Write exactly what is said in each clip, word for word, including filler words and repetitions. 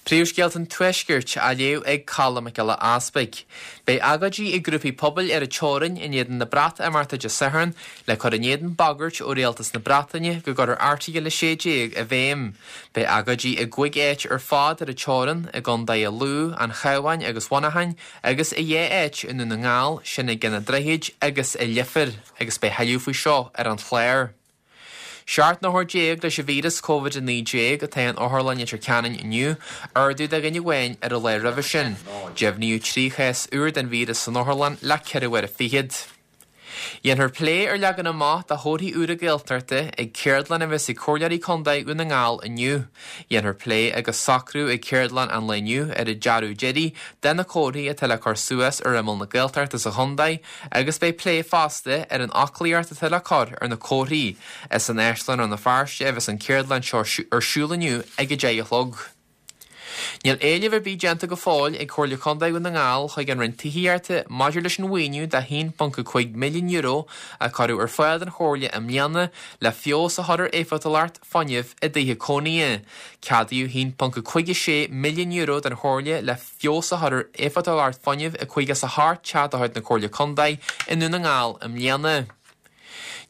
Príomhscéalta an Tuaiscirt á léamh ag Colm Mac Giolla Easpaig. Beidh agóidí ag grúpaí pobail ar an teorainn in éadan na Breatimeachta Dé Sathairn le cur in éadan bagairt ó Rialtas na Breataine go gcuirfear Airteagal a sé déag i bhfeidhm. Beidh agóidí i gcúig áit ar fad ar an teorainn, i gContae Lú, an Chabháin agus Mhuineacháin, agus i dhá áit i nDún na nGall, sin i gCeann an Droichid agus i Leifear, agus beidh tuilleadh faoi seo ar an chlár. Seacht n-othar déag leis an víreas Covid a naoi déag atá in Otharlann Leitir Ceanainn inniu, ardú de dhuine amháin ar an lá roimhe sin. Deimhníodh trí chás úr den víreas san otharlann le ceithre uaire fichead. Dhéanfar plé ar leagan amach de chomharthaí úra Gaeltachta ag ceardlann a bheas ag Comhairleoirí Contae Dhún na nGall inniu. Dhéanfar plé agus socrú ag ceardlann an lae inniu ar an dearadh deiridh de na comharthaí atá le cur suas ar imeall na Gaeltachta sa chontae agus beidh plé fosta ar an fhoclaíocht atá le cur ar na comharthaí. Is in Áislann Rann na Feirste a bheas an ceardlann seo ar siúl inniu ag a deich a chlog. Níl éileamh ar bith déanta go fóill ag Comhairle Contae Dhún na nGall chuig an Roinn Tithíochta maidir leis an mhaoiniú de haon ponc a cúig milliún euro a cuireadh ar fáil don Chomhairle i mbliana le feabhas a chur ar éifeachtúlacht fuinnimh i dtithe cónaithe. Ceadaíodh haon ponc a cúig a sé milliún euro don Chomhairle le feabhas a chur ar éifeachtúlacht fuinnimh i caoga is a hocht teach de chuid na Comhairle Contae i nDún na nGall i mbliana.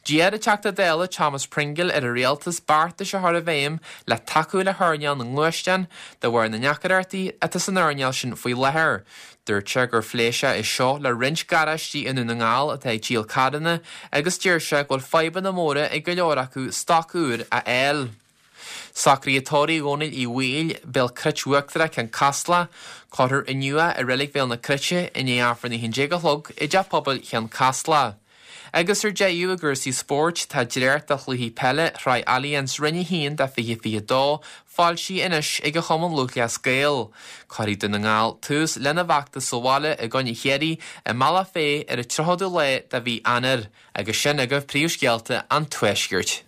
D'iarr an Teachta Dála Thomas Pringle ar an Rialtas beartais a chur i bhfeidhm le tacú le hearnáil na ngluaisteán de bharr na ndeacrachtaí atá san earnáil sin faoi láthair. Dúirt sé gur phléigh sé é seo le roinnt garáistí i nDún na nGall atá ag díol carranna agus deir sé go bhfuil fadhbanna móra ag go leor acu stoc úr a fháil. Socruithe tórraimh Dhónaill Uí Bhaoill, Béal Cruit Uachtarach, Ceann Caslach, cuirfear inniu é i Reilig Bhéal na Cruite i ndiaidh Aifreann a haon déag a chlog i dTeach Pobail Cheann Caslach. Agus ar deireadh i gcúrsaí spóirt, tá dréacht de chluichí peile Shraith Allianz Roinn a haon do fiche fiche dó foilsithe anois ag an Chumann Lúthchleas Gael. Cuirfidh Dún na nGall tús lena bhfeachtas sa bhaile i gcoinne Chiarraí i mBealach Féich ar an tríochadú lá de mhí Eanáir. Agus sin agaibh príomhscéalta an Tuaiscirt.